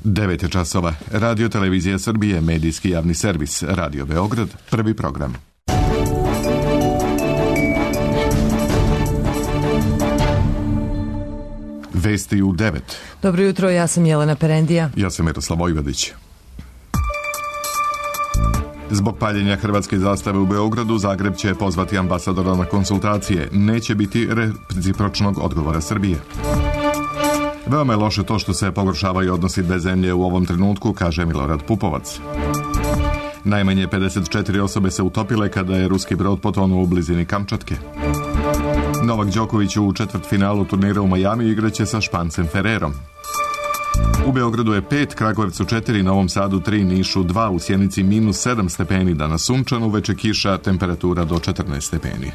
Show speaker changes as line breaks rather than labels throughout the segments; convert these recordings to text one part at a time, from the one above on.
9 časova. Radio Televizija Srbije, medijski javni servis. Radio Beograd, prvi program. Vesti u 9.
Dobro jutro, ja sam Jelena Perendija.
Ja sam Miroslav Vojvodić. Zbog paljenja hrvatske zastave u Beogradu, Zagreb će pozvati ambasadora na konsultacije. Neće biti recipročnog odgovora Srbije. Veoma je loše to što se pogoršavaju odnosi dve zemlje u ovom trenutku, kaže Milorad Pupovac. Najmanje 54 osobe se utopile kada je ruski brod potonuo u blizini Kamčatke. Novak Đoković u četvrtfinalu turnira u Majami igraće sa Špancem Ferrerom. U Beogradu je 5, Kragujevcu 4, Novom Sadu 3, Nišu 2, u Sjenici -7 stepeni, danas sunčano, uveče kiša, temperatura do 14 stepeni.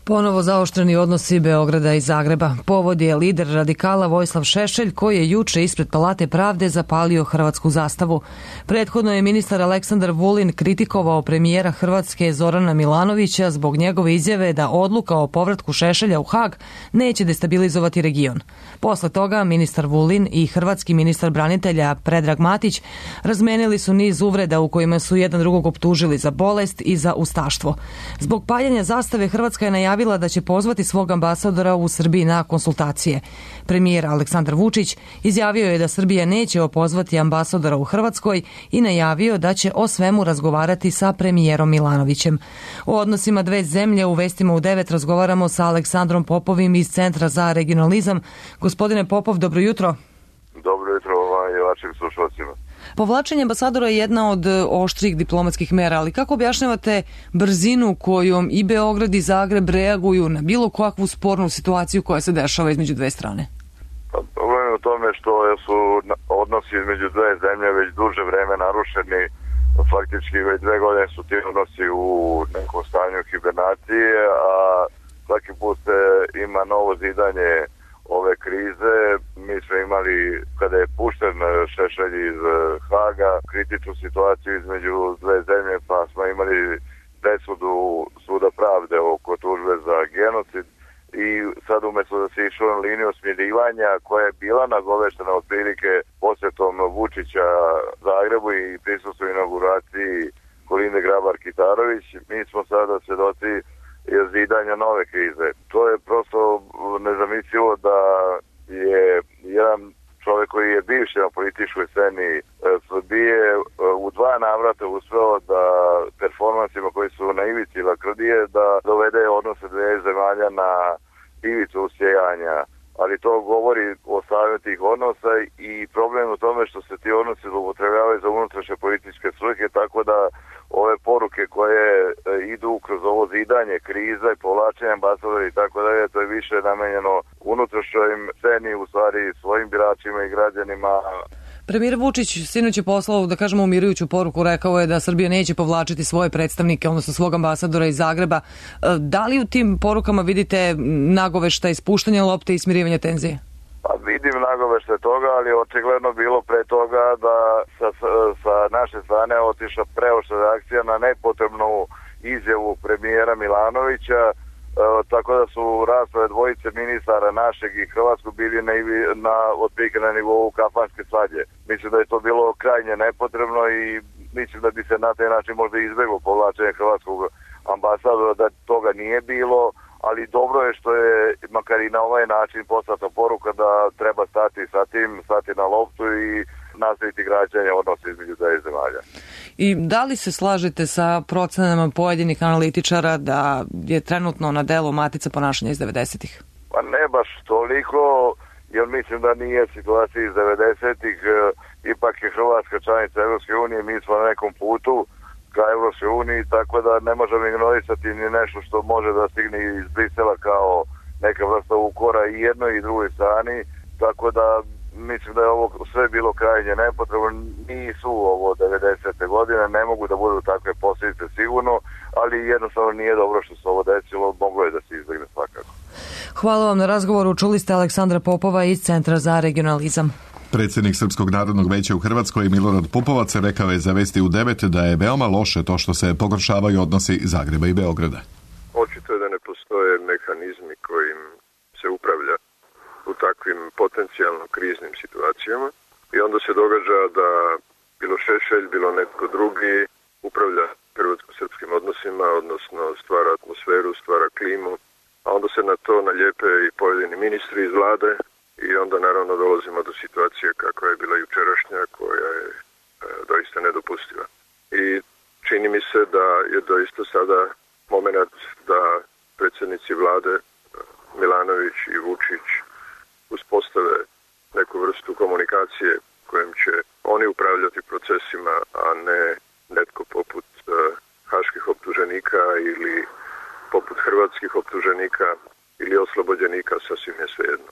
Ponovo zaoštreni odnosi Beograda i Zagreba. Povod je lider radikala Vojislav Šešelj, koji je juče ispred Palate pravde zapalio hrvatsku zastavu. Prethodno je ministar Aleksandar Vulin kritikovao premijera Hrvatske Zorana Milanovića zbog njegove izjave da odluka o povratku Šešelja u Hag neće destabilizovati region. Posle toga ministar Vulin i hrvatski ministar branitelja Predrag Matić razmenili su niz uvreda u kojima su jedan drugog optužili za bolest i za ustaštvo. Zbog paljenja zastave Hrvatska je najavila da će pozvati svog ambasadora u Srbiji na konsultacije. Premijer Aleksandar Vučić izjavio je da Srbija neće opozvati ambasadora u Hrvatskoj i najavio da će o svemu razgovarati sa premijerom Milanovićem. O odnosima dve zemlje u vestima u 9 razgovaramo sa Aleksandrom Popovim iz Centra za regionalizam. Gospodine Popov, dobro jutro.
Dobro jutro i vašim slušalcima.
Povlačenje ambasadora je jedna od oštrih diplomatskih mera, ali kako objašnjavate brzinu kojom i Beograd i Zagreb reaguju na bilo kakvu spornu situaciju koja se dešava između dve strane?
Problem je u tome što su odnosi između dve zemlje već duže vreme narušeni. Faktički već 2 godine su ti odnosi u nekom stanju hibernacije, a svaki put ima novo zidanje ove krize. Mi smo imali, kada je pušten Šešelj iz Haga, kritičnu situaciju između dve zemlje, pa smo imali presudu Suda pravde oko tužbe za genocid i sad umjesto da se išlo na liniju smirivanja koja je bila nagoveštena otprilike posjetom Vučića Zagrebu i prisustvu inauguraciji Kolinde Grabar-Kitarović, mi smo sada svedoci zidanja nove krize. To je prosto nezamislivo da je jedan čovjek koji je bivši na političkoj sceni Srbije u 2 navrata uspeo da performansima koji su na ivici lakrdije da dovede odnose dve zemalja na ivicu usijanja. Ali to govori o stanju tih odnosa i problem u tome što se ti odnosi zloupotrebljavaju za unutrašnje političke svrhe, tako da ove poruke koje idu kroz ovo zidanje, kriza i povlačenje ambasadora i tako dalje, to je više namenjeno unutrašnjoj sceni, u stvari svojim biračima i građanima.
Premijer Vučić sinoć je poslao, da kažemo, umirujuću poruku, rekao je da Srbija neće povlačiti svoje predstavnike, odnosno svog ambasadora iz Zagreba. Da li u tim porukama vidite nagoveštaj ispuštanja lopte i smirivanja tenzije?
Pa vidim nagoveštaj toga, ali očigledno bilo pre toga da sa naše strane otišla preoštra reakcija na nepotrebnu izjavu premijera Milanovića, tako da su rasprave dvojice ministara našeg i hrvatskog bili otprilike na nivou kafanske svađe. Mislim da je to bilo krajnje nepotrebno i mislim da bi se na taj način možda izbjeglo povlačenje hrvatskog ambasadora, da toga nije bilo, ali dobro je što je makar i na ovaj način poslata poruka da treba stati na loptu i nastaviti građanje odnosa između dve zemalja.
I da li se slažete sa procenama pojedinih analitičara da je trenutno na delu matica ponašanja iz 90-ih?
Pa ne baš toliko, jer mislim da nije situacija iz 90-ih, ipak je Hrvatska članica Evropske unije, mi smo na nekom putu ka Evropskoj uniji, tako da ne možemo ignorisati ni nešto što može da stigne iz Brisela kao neka vrsta ukora i jednoj i drugoj strani, tako da mislim da je ovo sve bilo krajnje nepotrebno. Nisu ovo 90. godine, ne mogu da budu takve posljedice sigurno, ali jednostavno nije dobro što se ovo desilo, moglo je da se izbjegne svakako.
Hvala vam na razgovoru, čuli ste Aleksandra Popova iz Centra za regionalizam.
Predsjednik Srpskog narodnog veća u Hrvatskoj Milorad Pupovac rekao je za Vesti u 9 da je veoma loše to što se pogoršavaju odnosi Zagreba i Beograda.
Očito je da ne postoje mehanizmi kojim se upravlja u takvim potencijalno kriznim situacijama i onda se događa da bilo Šešelj, bilo netko drugi upravlja hrvatsko-srpskim odnosima, odnosno stvara atmosferu, stvara klimu, a onda se na to nalijepe i pojedini ministri iz vlade i onda naravno dolazimo do situacije kakva je bila jučerašnja, koja je doista nedopustiva. I čini mi se da je doista sada moment da predsjednici vlade Milanović i Vučić uspostave neku vrstu komunikacije kojim će oni upravljati procesima, a ne netko poput haških optuženika ili poput hrvatskih optuženika ili oslobođenika, sasvim je svejedno.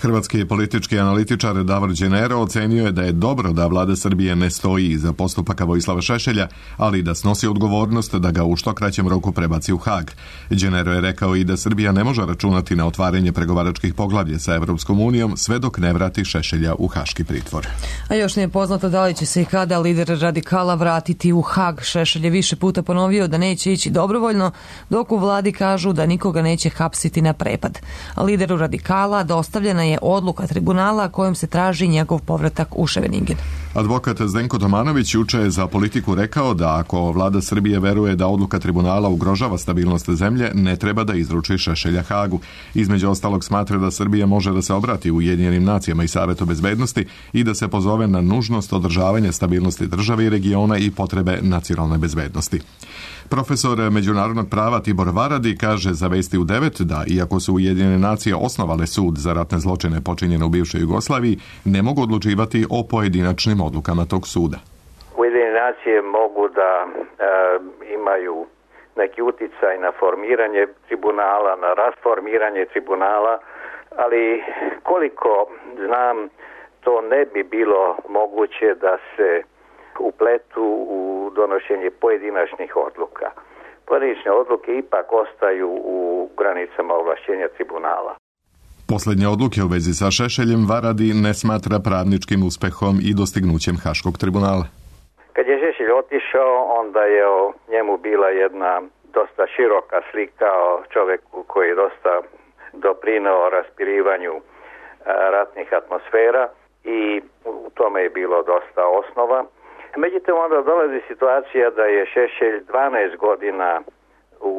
Hrvatski politički analitičar Davor Đenero ocenio je da je dobro da vlada Srbije ne stoji iza postupaka Vojislava Šešelja, ali da snosi odgovornost da ga u što kraćem roku prebaci u Hag. Đenero je rekao i da Srbija ne može računati na otvaranje pregovaračkih poglavlja sa Evropskom unijom sve dok ne vrati Šešelja u haški pritvor.
A još nije poznato da li će se i kada lider radikala vratiti u Hag. Šešelj je više puta ponovio da neće ići dobrovoljno, dok u vladi kažu da nikoga neće hapsiti na prepad. A lideru radikala dostavljena je odluka tribunala kojom se traži njegov povratak u Ševeningen.
Advokat Zdenko Tomanović juče je za Politiku rekao da ako vlada Srbije veruje da odluka tribunala ugrožava stabilnost zemlje, ne treba da izruči Šešelja Hagu. Između ostalog smatra da Srbija može da se obrati Ujedinjenim nacijama i Savetu bezbednosti i da se pozove na nužnost održavanja stabilnosti države i regiona i potrebe nacionalne bezbednosti. Profesor međunarodnog prava Tibor Varadi kaže za Vesti u 9 da, iako su Ujedinjene nacije osnovale sud za ratne zločine počinjene u bivšoj Jugoslaviji, ne mogu odlučivati o pojedinačnim odlukama tog suda.
Ujedinjene nacije mogu da imaju neki uticaj na formiranje tribunala, na rasformiranje tribunala, ali koliko znam, to ne bi bilo moguće da se upletu u donošenje pojedinačnih odluka. Pojedinačne odluke ipak ostaju u granicama ovlašćenja tribunala.
Posljednje odluke u vezi sa Šešeljem Varadi ne smatra pravničkim uspehom i dostignućem Haškog tribunala.
Kad je Šešelj otišao, onda je o njemu bila jedna dosta široka slika o čovjeku koji je dosta doprineo raspirivanju ratnih atmosfera i u tome je bilo dosta osnova. Međutim, onda dolazi situacija da je Šešelj 12 godina u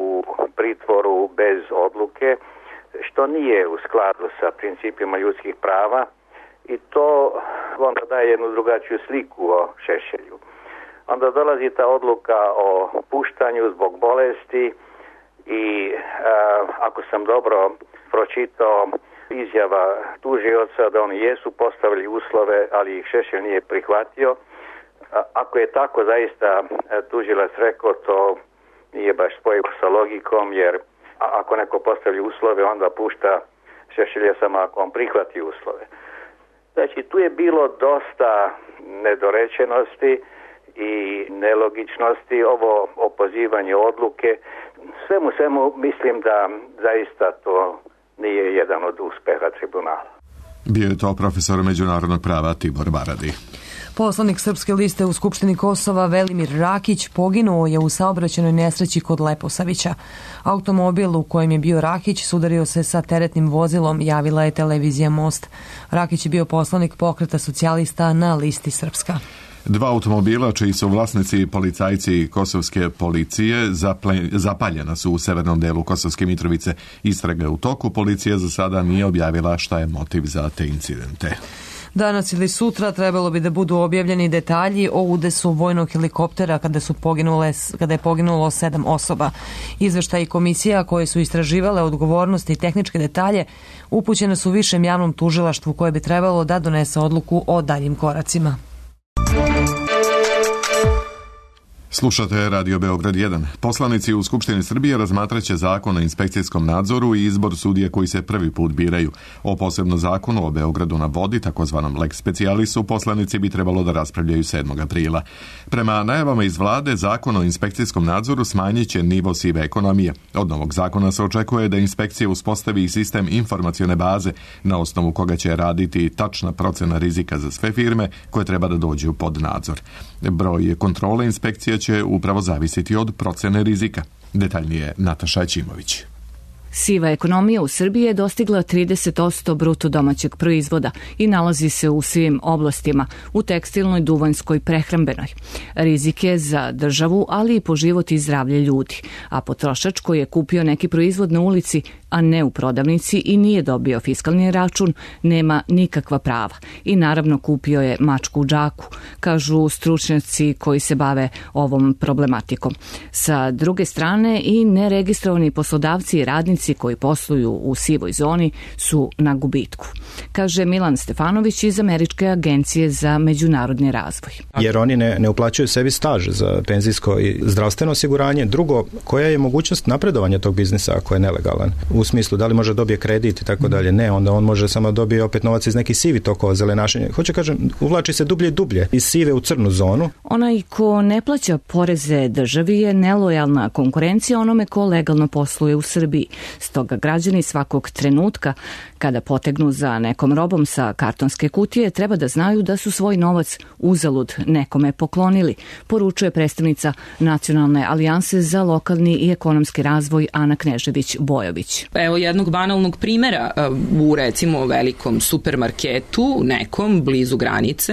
pritvoru bez odluke, što nije u skladu sa principima ljudskih prava i to onda daje jednu drugačiju sliku o Šešelju. Onda dolazi ta odluka o puštanju zbog bolesti i ako sam dobro pročitao izjava tužioca da oni jesu postavili uslove, ali ih Šešelj nije prihvatio. Ako je tako zaista tužilac rekao, to nije baš spojivo sa logikom, jer ako neko postavi uslove, onda pušta Šešelja samo ako on prihvati uslove. Znači, tu je bilo dosta nedorečenosti i nelogičnosti, ovo opozivanje odluke. Svemu mislim da zaista to nije jedan od uspeha tribunala.
Bio je to profesor međunarodnog prava Tibor Varadi.
Poslanik Srpske liste u Skupštini Kosova Velimir Rakić poginuo je u saobraćajnoj nesreći kod Leposavića. Automobil u kojem je bio Rakić sudario se sa teretnim vozilom, javila je televizija Most. Rakić je bio poslanik Pokreta socijalista na listi Srpska.
Dva automobila čiji su vlasnici policajci kosovske policije zapaljena su u severnom delu Kosovske Mitrovice. Istraga u toku, policija za sada nije objavila šta je motiv za te incidente.
Danas ili sutra trebalo bi da budu objavljeni detalji o udesu vojnog helikoptera kada je poginulo 7 osoba. Izveštaji komisija koje su istraživale odgovornosti i tehničke detalje upućene su višem javnom tužilaštvu koje bi trebalo da donese odluku o daljim koracima.
Slušate Radio Beograd 1. Poslanici u Skupštini Srbije razmatraće zakon o inspekcijskom nadzoru i izbor sudija koji se prvi put biraju. O posebnom zakonu o Beogradu na vodi, takozvanom lex specialisu, poslanici bi trebalo da raspravljaju 7. aprila. Prema najavama iz vlade, zakon o inspekcijskom nadzoru smanjit će nivo sive ekonomije. Od novog zakona se očekuje da inspekcija uspostavi sistem informacione baze na osnovu koga će raditi tačna procena rizika za sve firme koje treba da dođu pod nadzor. Broj kontrole inspekcija će upravo zavisiti od procene rizika. Detaljnije Nataša Ćimović.
Siva ekonomija u Srbiji je dostigla 30% bruto domaćeg proizvoda i nalazi se u svim oblastima, u tekstilnoj, duvanskoj, prehrambenoj. Rizik je za državu, ali i po život i zdravlje ljudi, a potrošač koji je kupio neki proizvod na ulici, a ne u prodavnici i nije dobio fiskalni račun, nema nikakva prava. I naravno kupio je mačku u džaku, kažu stručnjaci koji se bave ovom problematikom. Sa druge strane, i neregistrovani poslodavci i radnici koji posluju u sivoj zoni su na gubitku, kaže Milan Stefanović iz Američke agencije za međunarodni razvoj.
Jer oni ne uplaćuju sebi staž za penzijsko i zdravstveno osiguranje. Drugo, koja je mogućnost napredovanja tog biznisa ako je nelegalan? U smislu, da li može dobije kredit i tako dalje? Ne, onda on može samo dobije opet novac iz nekih sivih tokova, zelenašenja. Hoće kažem, uvlači se dublje i dublje iz sive u crnu zonu.
Onaj ko ne plaća poreze državi je nelojalna konkurencija onome ko legalno posluje u Srbiji. Stoga građani svakog trenutka kada potegnu za nekom robom sa kartonske kutije treba da znaju da su svoj novac uzalud nekome poklonili, poručuje predstavnica Nacionalne alijanse za lokalni i ekonomski razvoj Ana Knežević-Bojović.
Evo jednog banalnog primjera. U recimo velikom supermarketu, nekom blizu granice,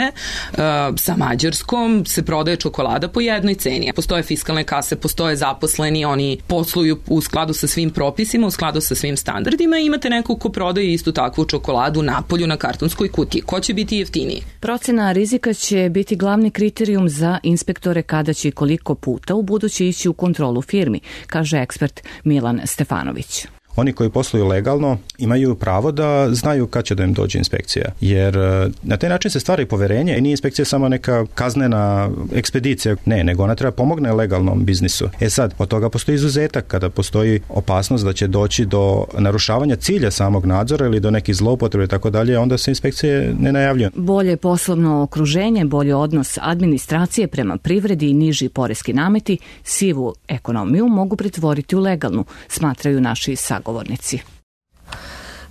sa Mađarskom se prodaje čokolada po jednoj ceni. Postoje fiskalne kase, postoje zaposleni, oni posluju u skladu sa svim propisima, u skladu sa svim standardima i imate nekog ko prodaje istu takvu čokoladu napolju na kartonskoj kutiji. Ko će biti jeftiniji?
Procena rizika će biti glavni kriterijum za inspektore kada će i koliko puta u buduće ići u kontrolu firmi, kaže ekspert Milan Stefanović.
Oni koji posluju legalno imaju pravo da znaju kad će da im dođe inspekcija. Jer na taj način se stvara i poverenje i nije inspekcija samo neka kaznena ekspedicija. Ne, nego ona treba pomogne legalnom biznisu. Sad, od toga postoji izuzetak kada postoji opasnost da će doći do narušavanja cilja samog nadzora ili do nekih zloupotrebe i tako dalje, onda se inspekcije ne najavljuju.
Bolje poslovno okruženje, bolji odnos administracije prema privredi i niži poreski nameti sivu ekonomiju mogu pretvoriti u legalnu, smatraju naši sagovornici.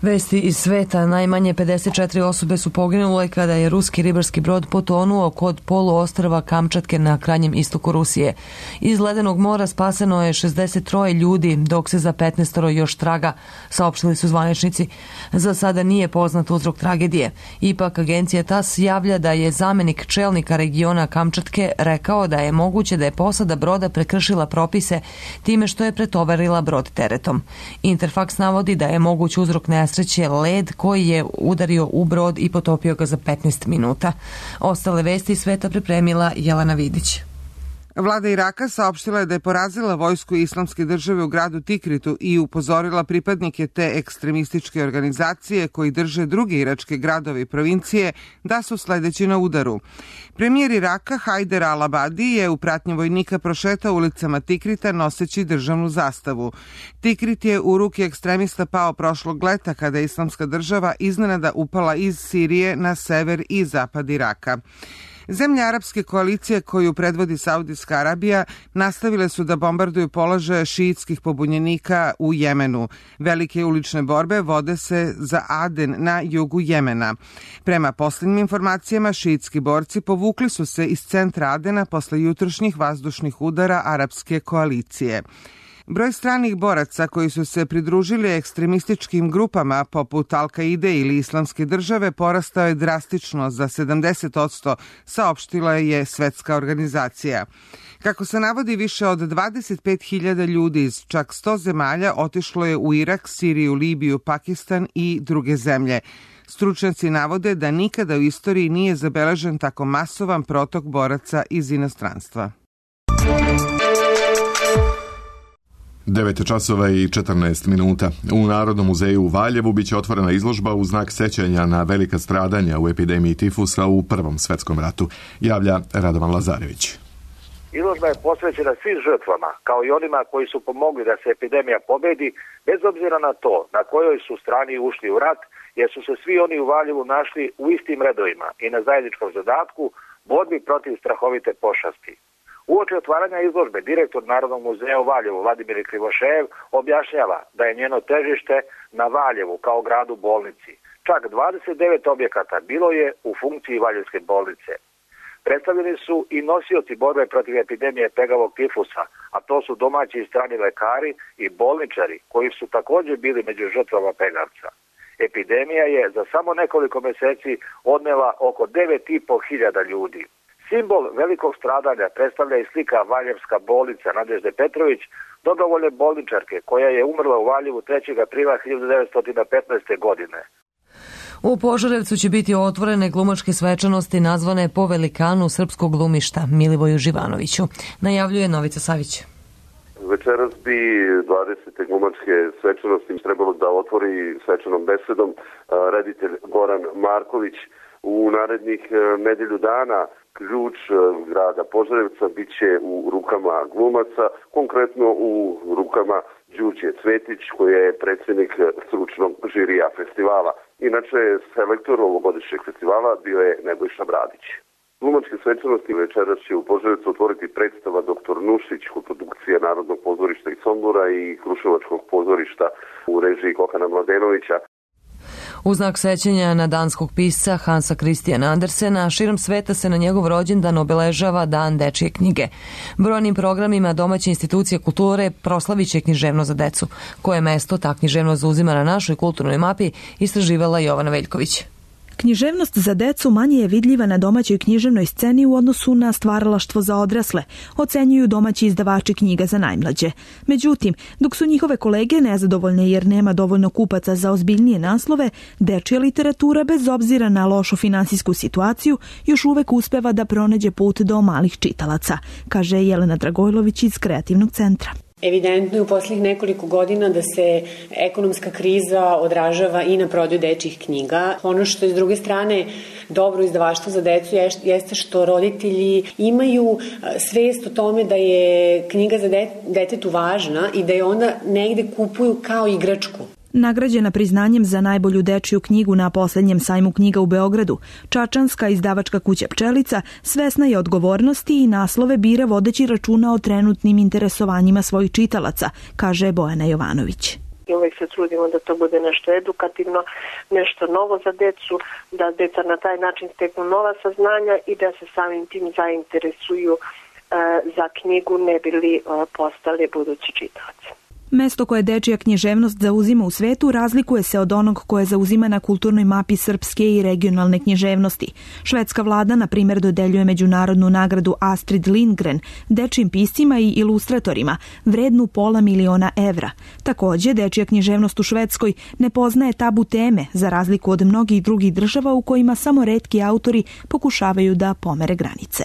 Vesti iz sveta. Najmanje 54 osobe su poginule kada je ruski ribarski brod potonuo kod poluostrva Kamčatke na krajnjem istoku Rusije. Iz ledenog mora spaseno je 63 ljudi, dok se za 15 još traga, saopštili su zvaničnici. Za sada nije poznat uzrok tragedije. Ipak agencija TASS javlja da je zamenik čelnika regiona Kamčatke rekao da je moguće da je posada broda prekršila propise time što je pretovarila brod teretom. Interfax navodi da je moguć uzrok nesreće led koji je udario u brod i potopio ga za 15 minuta. Ostale vesti sveta pripremila Jelena Vidić.
Vlada Iraka saopštila je da je porazila vojsku Islamske države u gradu Tikritu i upozorila pripadnike te ekstremističke organizacije koji drže druge iračke gradove i provincije da su sledeći na udaru. Premijer Iraka Hajder al-Abadi je u pratnji vojnika prošetao ulicama Tikrita noseći državnu zastavu. Tikrit je u ruke ekstremista pao prošlog leta kada je Islamska država iznenada upala iz Sirije na sever i zapad Iraka. Zemlje arapske koalicije koju predvodi Saudijska Arabija nastavile su da bombarduju položaje šiitskih pobunjenika u Jemenu. Velike ulične borbe vode se za Aden na jugu Jemena. Prema posljednjim informacijama, šiitski borci povukli su se iz centra Adena posle jutrošnjih vazdušnih udara arapske koalicije. Broj stranih boraca koji su se pridružili ekstremističkim grupama poput Al-Kaide ili Islamske države porastao je drastično za 70%, saopštila je Svetska organizacija. Kako se navodi, više od 25.000 ljudi iz čak 100 zemalja otišlo je u Irak, Siriju, Libiju, Pakistan i druge zemlje. Stručnjaci navode da nikada u istoriji nije zabeležen tako masovan protok boraca iz inostranstva.
9 časova i 14 minuta. U Narodnom muzeju u Valjevu biće otvorena izložba u znak sećanja na velika stradanja u epidemiji tifusa u Prvom svetskom ratu, javlja Radovan Lazarević.
Izložba je posvećena svim žrtvama, kao i onima koji su pomogli da se epidemija pobedi, bez obzira na to na kojoj su strani ušli u rat, jer su se svi oni u Valjevu našli u istim redovima i na zajedničkom zadatku borbi protiv strahovite pošasti. Uoči otvaranja izložbe direktor Narodnog muzeja u Valjevu Vladimir Krivošev objašnjava da je njeno težište na Valjevu kao gradu bolnici. Čak 29 objekata bilo je u funkciji Valjevske bolnice. Predstavljeni su i nosioci borbe protiv epidemije pegavog tifusa, a to su domaći i strani lekari i bolničari koji su također bili među žrtvama Pegavca. Epidemija je za samo nekoliko meseci odnela oko 9.500 ljudi. Simbol velikog stradanja predstavlja i slika Valjevska bolnica Nadežde Petrović, dobrovoljne bolničarke koja je umrla u Valjevu 3. aprila 1915. godine.
U Požarevcu će biti otvorene glumačke svečanosti nazvane po velikanu srpskog glumišta Milivoju Živanoviću, najavljuje Novica Savić.
Večeras bi 20. glumačke svečanosti trebalo da otvori svečanom besedom reditelj Goran Marković. U narednih nedelju dana ključ grada Požarevca bit će u rukama glumaca, konkretno u rukama Đurđe Cvetić, koji je predsjednik stručnog žirija festivala. Inače, selektor ovogodišnjeg festivala bio je Nebojša Bradić. Glumačke svečanosti večeras će u Požarevcu otvoriti predstava Dr. Nušić, koprodukcija Narodnog pozorišta iz Sombora i Kruševačkog pozorišta u režiji Kokana Mladenovića.
U znak sećanja na danskog pisca Hansa Christiana Andersena, širom sveta se na njegov rođendan obeležava Dan dečije knjige. Brojnim programima domaće institucije kulture proslavit će književnost za decu. Koje mesto ta književnost zauzima na našoj kulturnoj mapi, istraživala Jovana Veljković.
Književnost za decu manje je vidljiva na domaćoj književnoj sceni u odnosu na stvaralaštvo za odrasle, ocenjuju domaći izdavači knjiga za najmlađe. Međutim, dok su njihove kolege nezadovoljne jer nema dovoljno kupaca za ozbiljnije naslove, dečija literatura, bez obzira na lošu finansijsku situaciju, još uvek uspeva da pronađe put do malih čitalaca, kaže Jelena Dragojlović iz Kreativnog centra.
Evidentno je u posljednjih nekoliko godina da se ekonomska kriza odražava i na prodaju dečjih knjiga. Ono što je s druge strane dobro izdavaštvo za decu jeste što roditelji imaju svest o tome da je knjiga za detetu važna i da je onda negde kupuju kao igračku.
Nagrađena priznanjem za najbolju dečiju knjigu na poslednjem sajmu knjiga u Beogradu, čačanska izdavačka kuća Pčelica svesna je odgovornosti i naslove bira vodeći računa o trenutnim interesovanjima svojih čitalaca, kaže Bojana Jovanović.
I uvijek se trudimo da to bude nešto edukativno, nešto novo za decu, da deca na taj način steknu nova saznanja i da se samim tim zainteresuju za knjigu, ne bi li postali budući čitaoci.
Mesto koje dečija književnost zauzima u svetu razlikuje se od onog koje zauzima na kulturnoj mapi srpske i regionalne književnosti. Švedska vlada, na primjer, dodeljuje međunarodnu nagradu Astrid Lindgren dečijim piscima i ilustratorima, vrednu $500.000 evra. Također, dečija književnost u Švedskoj ne poznaje tabu teme, za razliku od mnogih drugih država u kojima samo retki autori pokušavaju da pomere granice.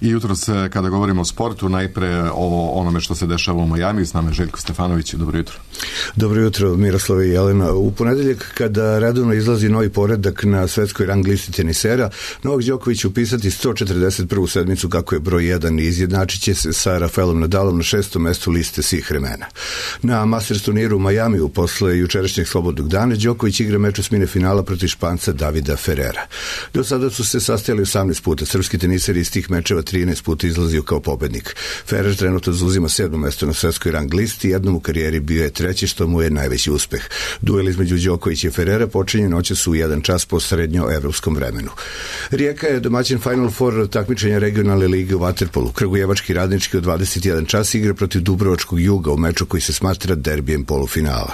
I jutros, kada govorimo o sportu, najpre o onome što se dešava u Majamiju, s nama je Željko Stefanović. Dobro jutro.
Dobro jutro, Miroslava i Jelena. U ponedeljak, kada redovno izlazi novi poredak na svetskoj rang listi tenisera, Novak Đoković upisati 141. sedmicu kako je broj 1 i izjednačit će se sa Rafaelom Nadalom na 6. mestu liste svih vremena. Na Masters turniru u Majamiju, posle jučerašnjeg slobodnog dana, Đoković igra meč osmine finala protiv Španca Davida Ferrera. Do sada su se sastajali 18 puta. Srpski teniser iz tih mečeva 13 puta izlazio kao pobednik. Ferrer trenutno zauzima 7. mesto na svetskoj rang listi, jednom u karijeri bio je treći, što mu je najveći uspeh. Duel između Đokovića i Ferrera počinje noćas u 1 čas po srednjoevropskom vremenu. Rijeka je domaćin Final Four takmičenja regionalne lige u vaterpolu. Kragujevački Radnički u 21 čas igra protiv Dubrovačkog Juga u meču koji se smatra derbijem polufinala.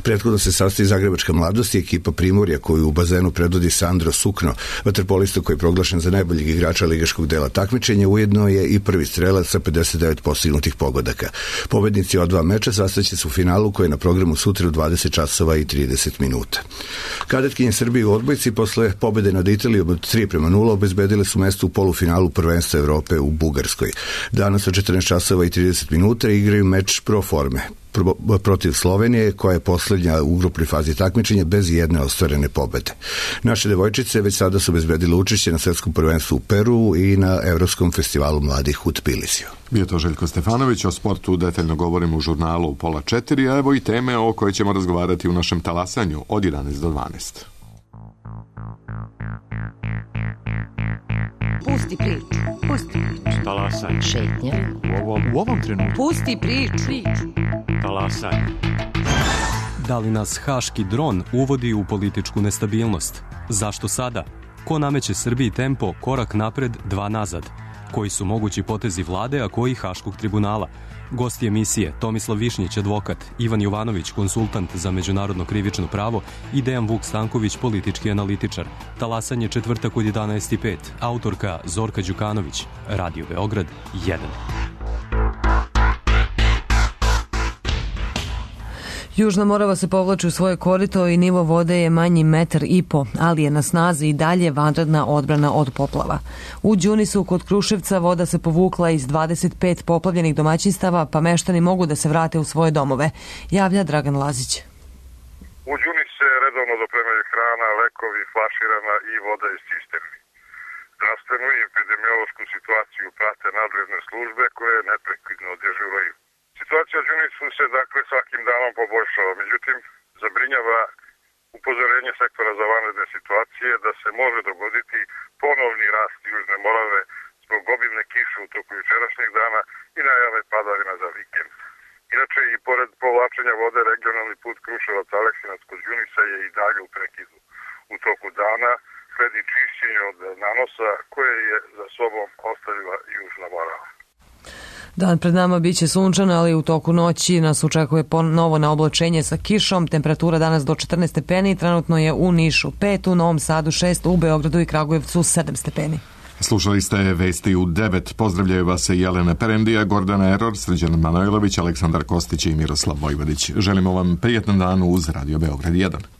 Prethodno se sastoji Zagrebačka mladost i ekipa Primorja koju u bazenu predvodi Sandro Sukno, vaterpolista koji je proglašen za najboljeg igrača ligaškog dela takmičenja, ujedno je i prvi strelac sa 59 postignutih pogodaka. Pobednici od 2 meča sastaće se u finalu koji je na programu sutra u 20 časova i 30 minuta. Kadetkinje Srbije u odbojci posle pobede nad Italijom od 3-0 obezbedile su mesto u polufinalu prvenstva Evrope u Bugarskoj. Danas od 14 časova i 30 minuta igraju meč pro forme protiv Slovenije, koja je posljednja u grupnoj fazi takmičenja bez jedne ostvarene pobede. Naše devojčice već sada su obezbedile učešće na svetskom prvenstvu u Peru i na Evropskom festivalu mladih u Tbilisiju.
Bio to Željko Stefanović, o sportu detaljno govorimo u žurnalu u 3:30, a evo i teme o kojoj ćemo razgovarati u našem talasanju od 11 do 12.
Pusti priču. Pusti priču.
Talasaj.
Šetnja.
U ovom trenutku.
Pusti priču.
Talasaj.
Da li nas haški dron uvodi u političku nestabilnost? Zašto sada? Ko nameće Srbiji tempo korak napred, 2 nazad? Koji su mogući potezi vlade, a koji Haškog tribunala? Gosti emisije Tomislav Višnjić, advokat, Ivan Jovanović, konsultant za međunarodno krivično pravo i Dejan Vuk Stanković, politički analitičar. Talasanje četvrtak od 11:05. Autorka Zorka Đukanović. Radio Beograd 1.
Južna Morava se povlači u svoje korito i nivo vode je manji 1,5 m, ali je na snazi i dalje vanredna odbrana od poplava. U Đunisu kod Kruševca voda se povukla iz 25 poplavljenih domaćinstava, pa meštani mogu da se vrate u svoje domove, javlja Dragan Lazić.
U Đunis se redovno dopremaju hrana, lekovi, flaširana i voda iz cisterni. Zdravstvenu i epidemiološku situaciju prate nadležne službe koje neprekidno dežuraju. Situacija u Đunisu se dakle svakim danom poboljšava, međutim zabrinjava upozorenje sektora za vanredne situacije da se može dogoditi ponovni rast Južne Morave zbog obimne kiše u toku jučerašnjeg dana i najave padavina za vikend. Inače i pored povlačenja vode regionalni put Kruševac-Aleksinac kod Đunisa je i dalje u prekidu. U toku dana sledi čišćenje od nanosa koje je za sobom ostavila Južna Morava.
Dan pred nama biće sunčan, ali u toku noći nas očekuje ponovo na oblačenje sa kišom. Temperatura danas do 14 stepeni, trenutno je u Nišu 5, u Novom Sadu 6, u Beogradu i Kragujevcu 7 stepeni.
Slušali ste vesti u 9. Pozdravljaju vas Jelena Perendija, Gordana Eror, Srđan Manojlović, Aleksandar Kostić i Miroslav Vojvodić. Želimo vam prijetan dan uz Radio Beograd 1.